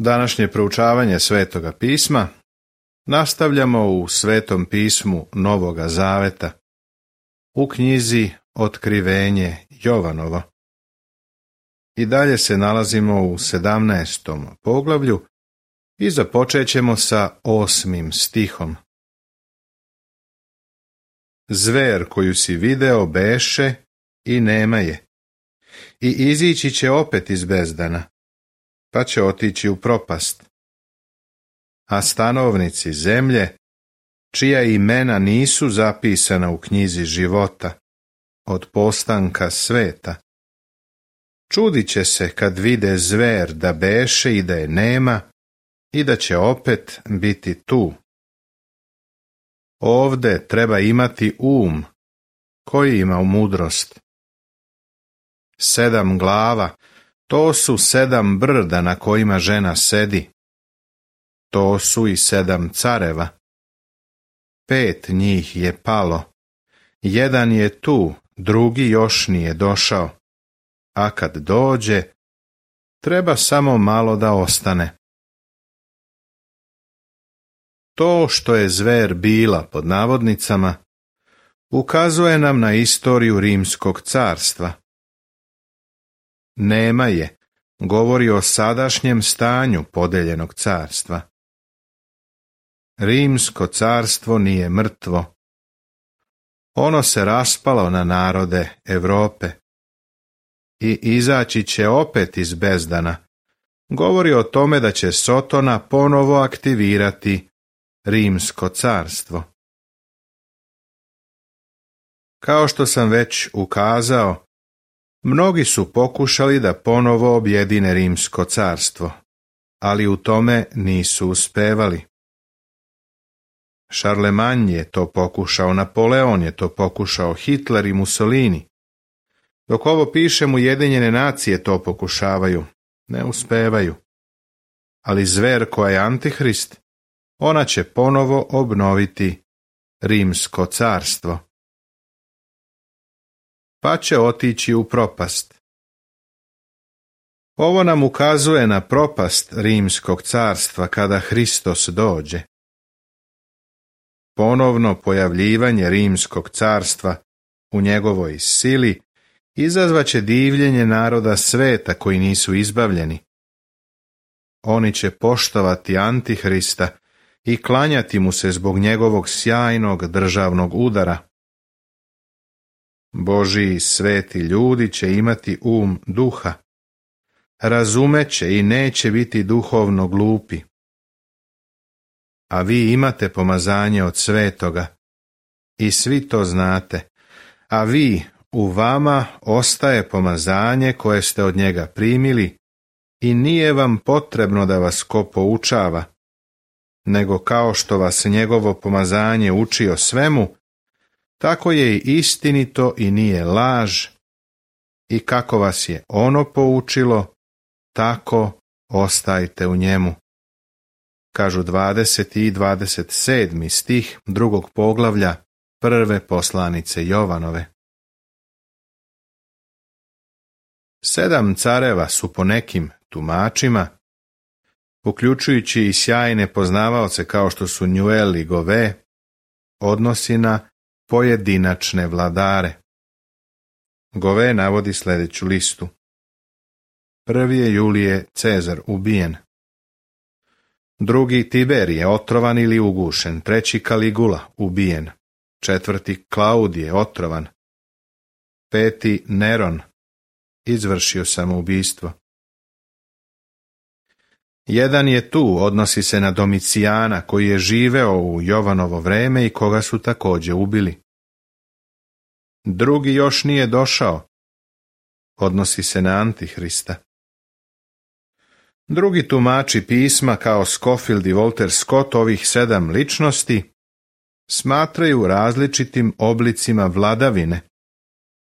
Današnje proučavanje Svetoga pisma nastavljamo u Svetom pismu Novoga Zaveta, u knjizi Otkrivenje Jovanovo. I dalje se nalazimo u 17. poglavlju i započet ćemo sa 8. stihom. Zver koju si video beše i nema je, i izići će opet iz bezdana, pa će otići u propast. A stanovnici zemlje, čija imena nisu zapisana u knjizi života, od postanka sveta, čudit će se kad vide zver da beše i da je nema i da će opet biti tu. Ovde treba imati koji ima mudrost. 7 glava, to su 7 brda na kojima žena sedi. To su i 7 careva. 5 njih je palo. 1 je tu, drugi još nije došao. A kad dođe, treba samo malo da ostane. To što je zver bila, pod navodnicama, ukazuje nam na istoriju Rimskog carstva. Nema je, govori o sadašnjem stanju podeljenog carstva. Rimsko carstvo nije mrtvo. Ono se raspalo na narode Europe i izaći će opet iz bezdana. Govori o tome da će Sotona ponovo aktivirati Rimsko carstvo. Kao što sam već ukazao, mnogi su pokušali da ponovo objedine Rimsko carstvo, ali u tome nisu uspevali. Šarlemanj je to pokušao, Napoleon je to pokušao, Hitler i Mussolini. Dok ovo pišem, Ujedinjene nacije to pokušavaju, ne uspevaju. Ali zver koja je Antihrist, ona će ponovo obnoviti Rimsko carstvo. Pa će otići u propast. Ovo nam ukazuje na propast Rimskog carstva kada Hristos dođe. Ponovno pojavljivanje Rimskog carstva u njegovoj sili izazvaće divljenje naroda sveta koji nisu izbavljeni. Oni će poštovati Antihrista i klanjati mu se zbog njegovog sjajnog državnog udara. Božji sveti ljudi će imati duha, razumeće i neće biti duhovno glupi. A vi imate pomazanje od svetoga i svi to znate, a u vama ostaje pomazanje koje ste od njega primili i nije vam potrebno da vas ko poučava, nego kao što vas njegovo pomazanje uči o svemu, tako je i istinito i nije laž, i kako vas je ono poučilo, tako ostajte u njemu. Kažu 20. i 27. stih 2. poglavlja 1. poslanice Jovanove. 7 careva su po nekim tumačima, uključujući i sjajne poznavaoce kao što su Njuel i Gove, odnosi na pojedinačne vladare. Gove navodi sljedeću listu. 1. je Julije Cezar ubijen. 2. Tiberije otrovan ili ugušen. 3. Kaligula ubijen. 4. Klaudije otrovan. 5. Neron izvršio samoubistvo. 1 je tu, odnosi se na Domicijana koji je živeo u Jovanovo vreme i koga su također ubili. 2. još nije došao, odnosi se na Antihrista. Drugi tumači pisma kao Scofield i Walter Scott ovih 7 ličnosti smatraju različitim oblicima vladavine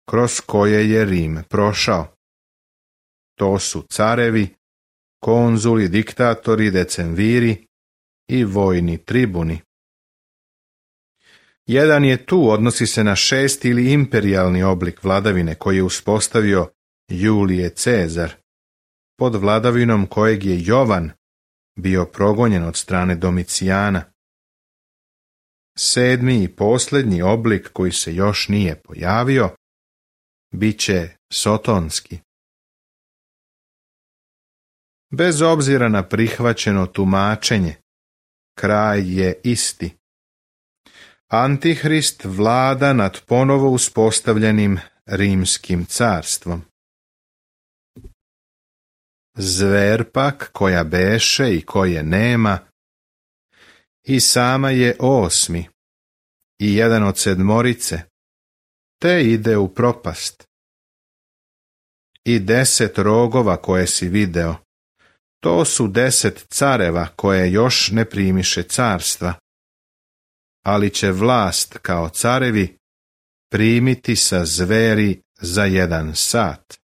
kroz koje je Rim prošao. To su carevi, konzuli, diktatori, decemviri i vojni tribuni. 1 je tu, odnosi se na 6. ili imperijalni oblik vladavine koji je uspostavio Julije Cezar, pod vladavinom kojeg je Jovan bio progonjen od strane Domicijana. 7. i posljednji oblik koji se još nije pojavio bit će sotonski. Bez obzira na prihvaćeno tumačenje, kraj je isti. Antihrist vlada nad ponovo uspostavljenim rimskim carstvom. Zver pak koja beše i koje nema, i sama je 8. i jedan od 7, te ide u propast. I 10 rogova koje si video, to su 10 careva koje još ne primiše carstva, ali će vlast kao carevi primiti sa zveri za 1 sat.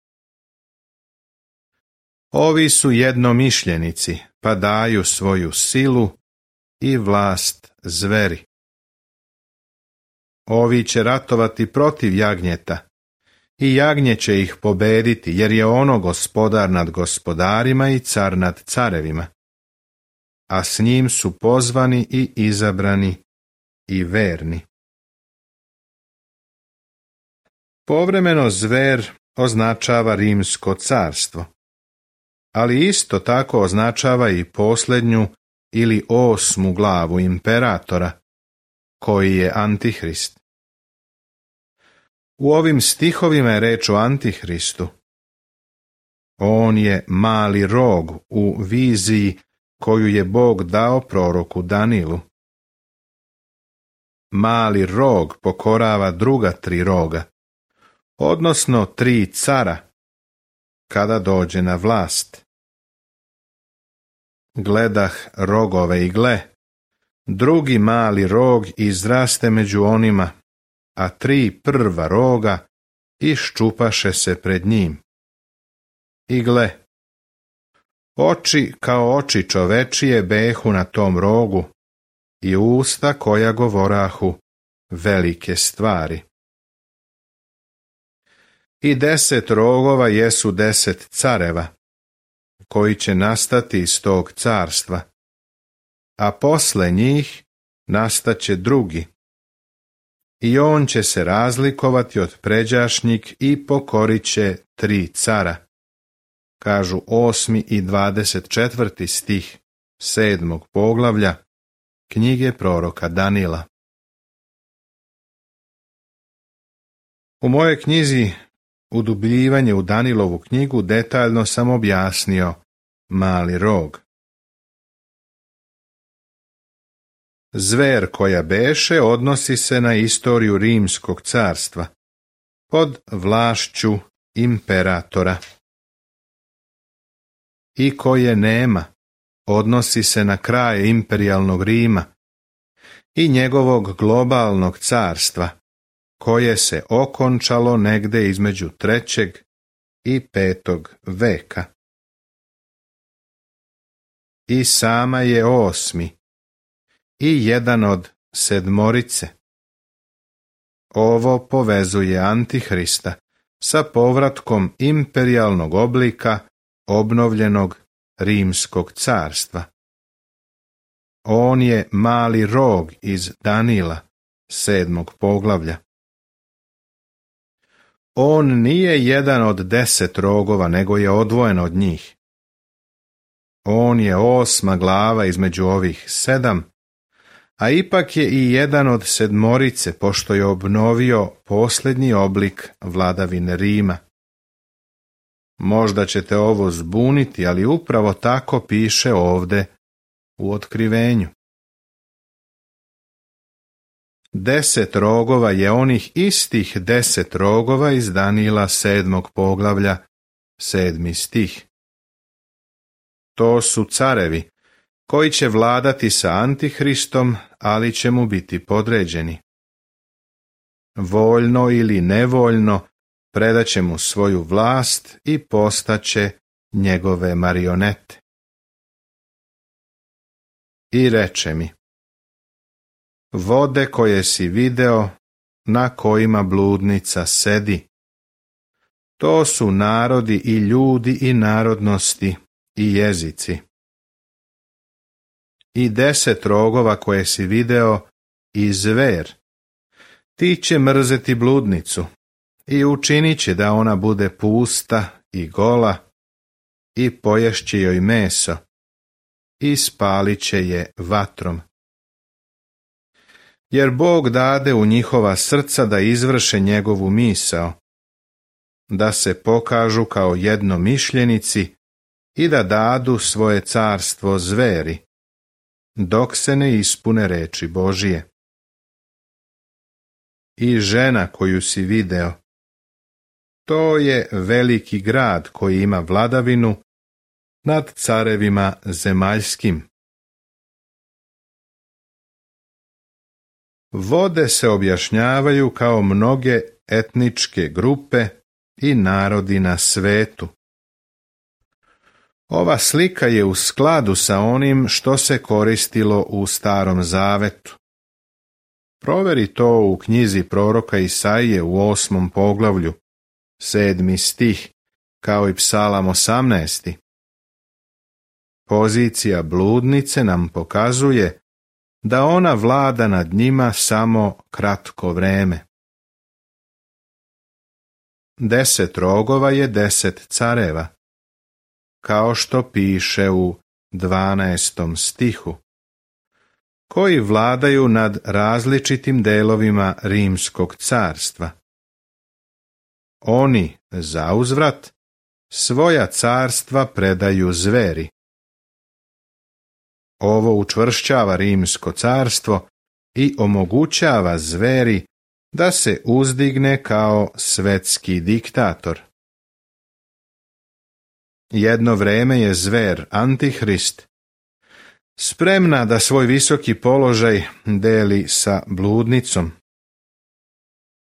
Ovi su jednomišljenici, pa daju svoju silu i vlast zveri. Ovi će ratovati protiv jagnjeta, i jagnje će ih pobediti, jer je ono gospodar nad gospodarima i car nad carevima, a s njim su pozvani i izabrani i verni. Povremeno zver označava rimsko carstvo, ali isto tako označava i posljednju ili 8. glavu imperatora, koji je Antihrist. U ovim stihovima je reč o Antihristu. On je mali rog u viziji koju je Bog dao proroku Danilu. Mali rog pokorava druga 3 roga, odnosno 3 cara, kada dođe na vlast. Gledah rogove i gle, drugi mali rog izraste među onima, a 3 prva roga iščupaše se pred njim. I gle, oči kao oči čovečije behu na tom rogu i usta koja govorahu velike stvari. I 10 rogova jesu 10 careva, koji će nastati iz tog carstva, a posle njih nastaće drugi. I on će se razlikovati od pređašnjih i pokorit će 3 cara, kažu 8. i 24. stih 7. poglavlja knjige proroka Danila. U mojoj knjizi Udubljivanje u Danilovu knjigu detaljno sam objasnio mali rog. Zver koja beše odnosi se na istoriju rimskog carstva, pod vlašću imperatora. I koje nema odnosi se na kraj imperijalnog Rima i njegovog globalnog carstva, koje se okončalo negde između 3. i 5. veka. I sama je 8. i jedan od 7. Ovo povezuje Antihrista sa povratkom imperijalnog oblika obnovljenog rimskog carstva. On je mali rog iz Danila, 7. poglavlja. On nije jedan od 10 rogova, nego je odvojen od njih. On je 8. glava između ovih 7, a ipak je i jedan od 7, pošto je obnovio posljednji oblik vladavine Rima. Možda ćete ovo zbuniti, ali upravo tako piše ovde u Otkrivenju. 10 rogova je onih istih 10 rogova iz Danila 7. poglavlja 7. stih. To su carevi koji će vladati sa Antihristom, ali će mu biti podređeni. Voljno ili nevoljno predaće mu svoju vlast i postaće njegove marionete. I reče mi: vode koje si video, na kojima bludnica sedi, to su narodi i ljudi i narodnosti i jezici. i 10 rogova koje si video i zver. Ti će mrzeti bludnicu i učinit će da ona bude pusta i gola i poješće joj meso i spalit će je vatrom. Jer Bog dade u njihova srca da izvrše njegovu misao, da se pokažu kao jednomišljenici i da dadu svoje carstvo zveri, dok se ne ispune reči Božije. I žena koju si video, to je veliki grad koji ima vladavinu nad carevima zemaljskim. Vode se objašnjavaju kao mnoge etničke grupe i narodi na svetu. Ova slika je u skladu sa onim što se koristilo u Starom Zavetu. Proveri to u knjizi proroka Isaije u 8. poglavlju, 7. stih, kao i Psalam 18. Pozicija bludnice nam pokazuje da ona vlada nad njima samo kratko vreme. 10 rogova je 10 careva, kao što piše u 12. stihu, koji vladaju nad različitim delovima Rimskog carstva. Oni, zauzvrat, svoja carstva predaju zveri. Ovo učvršćava Rimsko carstvo i omogućava zveri da se uzdigne kao svetski diktator. Jedno vreme je zver Antihrist spremna da svoj visoki položaj deli sa bludnicom,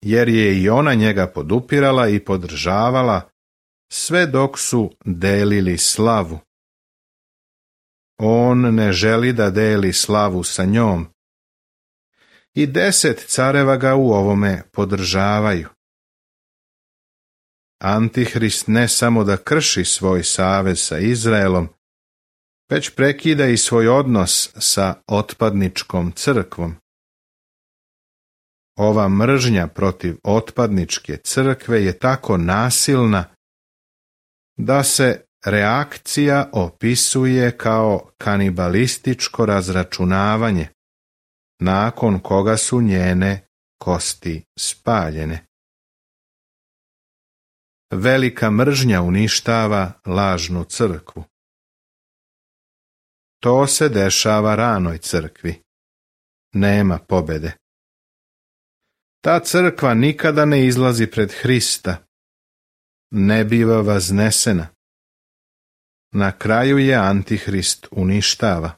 jer je i ona njega podupirala i podržavala sve dok su delili slavu. On ne želi da deli slavu sa njom. I 10 careva ga u ovome podržavaju. Antihrist ne samo da krši svoj savez sa Izraelom, već prekida i svoj odnos sa otpadničkom crkvom. Ova mržnja protiv otpadničke crkve je tako nasilna da se reakcija opisuje kao kanibalističko razračunavanje, nakon koga su njene kosti spaljene. Velika mržnja uništava lažnu crkvu. To se dešava ranoj crkvi. Nema pobede. Ta crkva nikada ne izlazi pred Hrista. Ne biva vaznesena. Na kraju je Antihrist uništava.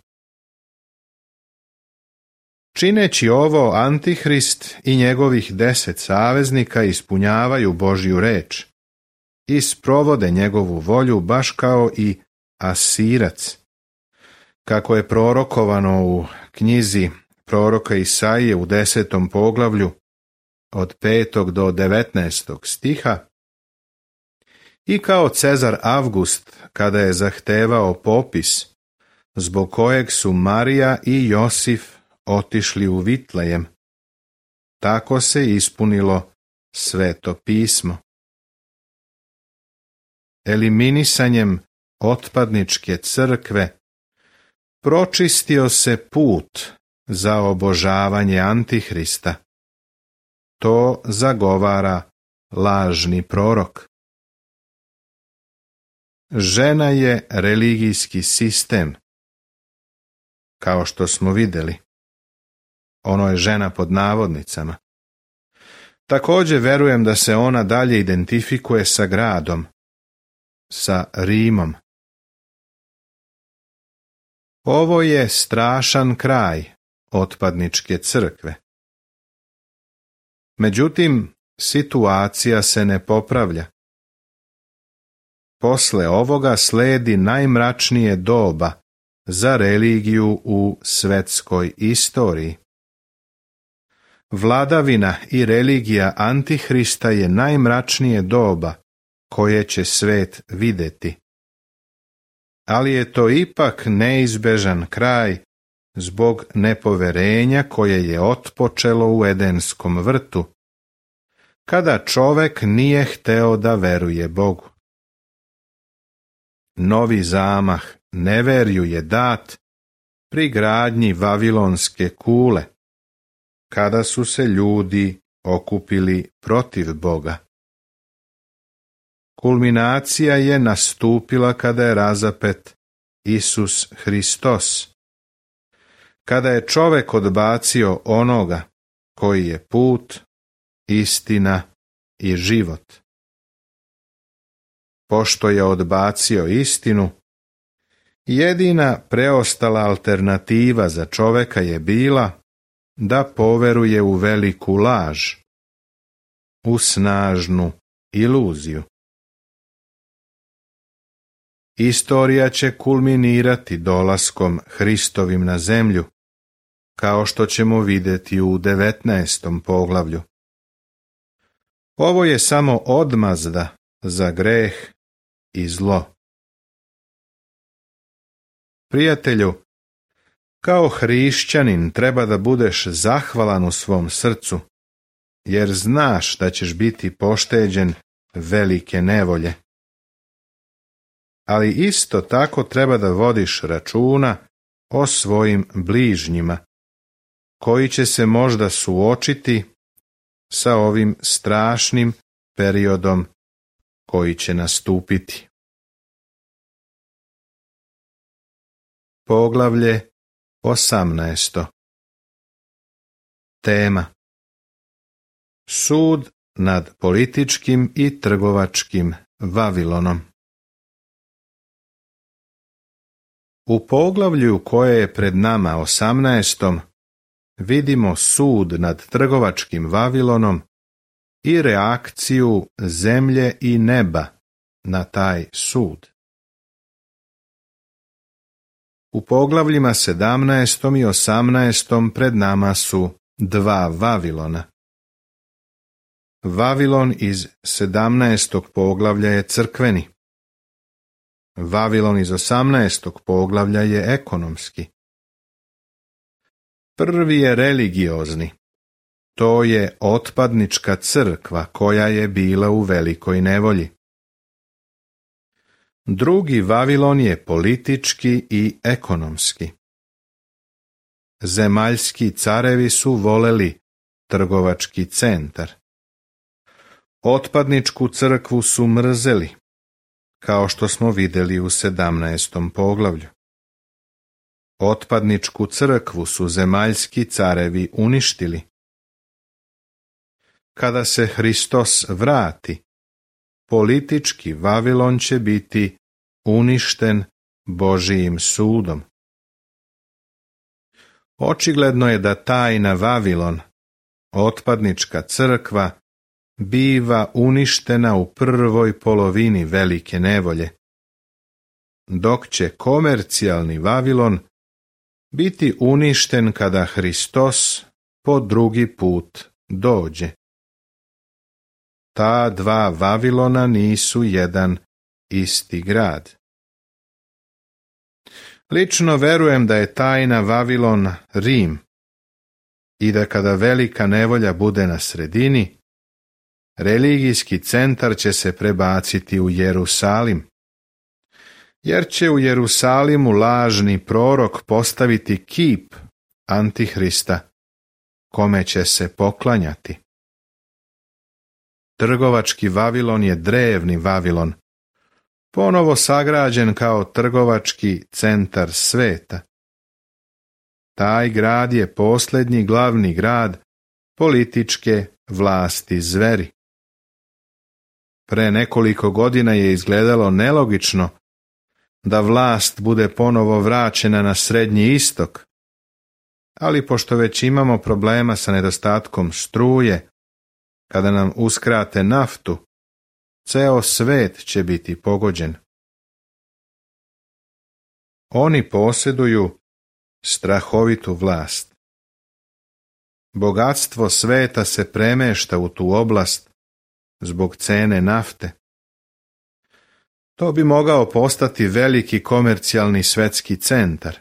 Čineći ovo, Antihrist i njegovih 10 saveznika ispunjavaju Božju reč i sprovode njegovu volju baš kao i Asirac. Kako je prorokovano u knjizi proroka Isaije u 10. poglavlju od 5. do 19. stiha, i kao Cezar Avgust kada je zahtevao popis, zbog kojeg su Marija i Josif otišli u Vitlejem, tako se ispunilo Sveto pismo. Eliminisanjem otpadničke crkve pročistio se put za obožavanje Antihrista. To zagovara lažni prorok. Žena je religijski sistem. Kao što smo vidjeli, ono je žena pod navodnicama. Također verujem da se ona dalje identifikuje sa gradom, sa Rimom. Ovo je strašan kraj otpadničke crkve. Međutim, situacija se ne popravlja. Posle ovoga sledi najmračnije doba za religiju u svetskoj istoriji. Vladavina i religija Antihrista je najmračnije doba koje će svet vidjeti. Ali je to ipak neizbežan kraj zbog nepoverenja koje je otpočelo u Edenskom vrtu, kada čovek nije hteo da veruje Bogu. Novi zamah neverju je dat pri gradnji Vavilonske kule, kada su se ljudi okupili protiv Boga. Kulminacija je nastupila kada je razapet Isus Hristos, kada je čovek odbacio onoga koji je put, istina i život. Pošto je odbacio istinu, jedina preostala alternativa za čoveka je bila da poveruje u veliku laž, u snažnu iluziju. Istorija će kulminirati dolaskom Hristovim na zemlju, kao što ćemo vidjeti u 19. poglavlju. Ovo je samo odmazda za greh i zlo. Prijatelju, kao hrišćanin treba da budeš zahvalan u svom srcu, jer znaš da ćeš biti pošteđen velike nevolje. Ali isto tako treba da vodiš računa o svojim bližnjima, koji će se možda suočiti sa ovim strašnim periodom koji će nastupiti. Poglavlje 18. Tema: Sud nad političkim i trgovačkim Vavilonom. U poglavlju koje je pred nama 18. vidimo sud nad trgovačkim Vavilonom i reakciju zemlje i neba na taj sud. U poglavljima 17. i 18. pred nama su dva Vavilona. Vavilon iz 17. poglavlja je crkveni. Vavilon iz 18. poglavlja je ekonomski. Prvi je religiozni. To je otpadnička crkva koja je bila u velikoj nevolji. Drugi Vavilon je politički i ekonomski. Zemaljski carevi su voleli trgovački centar. Otpadničku crkvu su mrzeli, kao što smo vidjeli u 17. poglavlju. Otpadničku crkvu su zemaljski carevi uništili. Kada se Hristos vrati, politički Vavilon će biti uništen Božijim sudom. Očigledno je da tajna Vavilon, otpadnička crkva, biva uništena u prvoj polovini velike nevolje, dok će komercijalni Vavilon biti uništen kada Hristos po drugi put dođe. Ta dva Vavilona nisu jedan isti grad. Lično verujem da je tajna Vavilon Rim i da kada velika nevolja bude na sredini, religijski centar će se prebaciti u Jerusalim, jer će u Jerusalimu lažni prorok postaviti kip Antihrista, kome će se poklanjati. Trgovački Vavilon je drevni Vavilon, ponovo sagrađen kao trgovački centar sveta. Taj grad je posljednji glavni grad političke vlasti zveri. Pre nekoliko godina je izgledalo nelogično da vlast bude ponovo vraćena na Srednji istok, ali pošto već imamo problema sa nedostatkom struje, kada nam uskrate naftu, ceo svet će biti pogođen. Oni posjeduju strahovitu vlast. Bogatstvo sveta se premešta u tu oblast zbog cene nafte. To bi mogao postati veliki komercijalni svetski centar.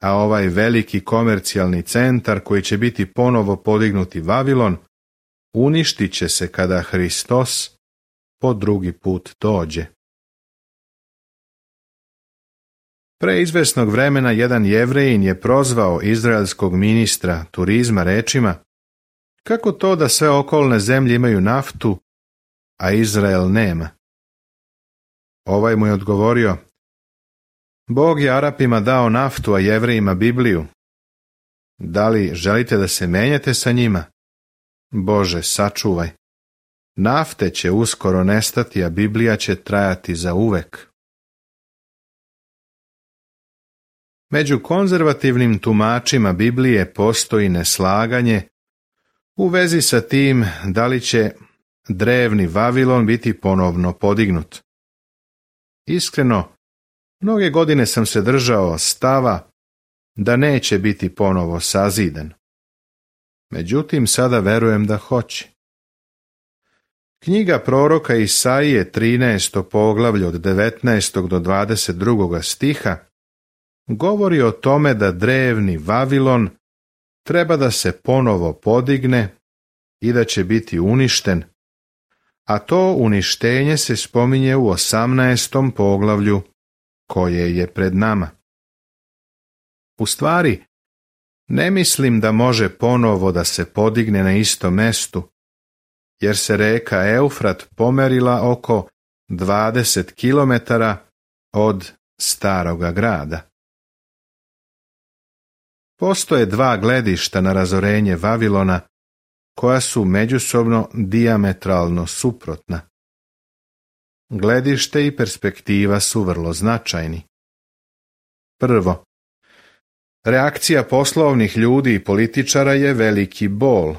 a ovaj veliki komercijalni centar koji će biti ponovo podignuti Vavilon, uništit će se kada Hristos po drugi put dođe. Pre izvesnog vremena jedan Jevrejin je prozvao izraelskog ministra turizma rečima: kako to da sve okolne zemlje imaju naftu, a Izrael nema? Ovaj mu je odgovorio: Bog je Arapima dao naftu, a Jevrejima Bibliju. Da li želite da se menjate sa njima? Bože, sačuvaj. Nafte će uskoro nestati, a Biblija će trajati za uvek. Među konzervativnim tumačima Biblije postoji neslaganje u vezi sa tim da li će drevni Vavilon biti ponovno podignut. Iskreno, mnoge godine sam se držao stava da neće biti ponovo sazidan. Međutim, sada verujem da hoće. Knjiga proroka Isaije 13. poglavlje od 19. do 22. stiha govori o tome da drevni Vavilon treba da se ponovo podigne i da će biti uništen, a to uništenje se spominje u 18. poglavlju koje je pred nama. U stvari, ne mislim da može ponovo da se podigne na istom mestu, jer se reka Eufrat pomerila oko 20 kilometara od staroga grada. Postoje dva gledišta na razorenje Vavilona koja su međusobno dijametralno suprotna. Gledište i perspektiva su vrlo značajni. Prvo, reakcija poslovnih ljudi i političara je veliki bol.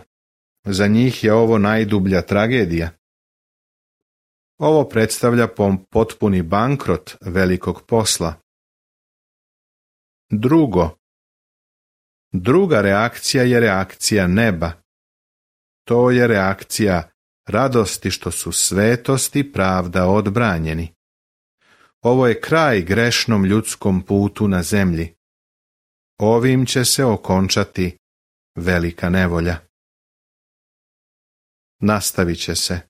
Za njih je ovo najdublja tragedija. Ovo predstavlja potpuni bankrot velikog posla. Druga reakcija je reakcija neba. To je reakcija radosti što su svetost i pravda odbranjeni. Ovo je kraj grešnom ljudskom putu na zemlji. Ovim će se okončati velika nevolja. Nastavit će se.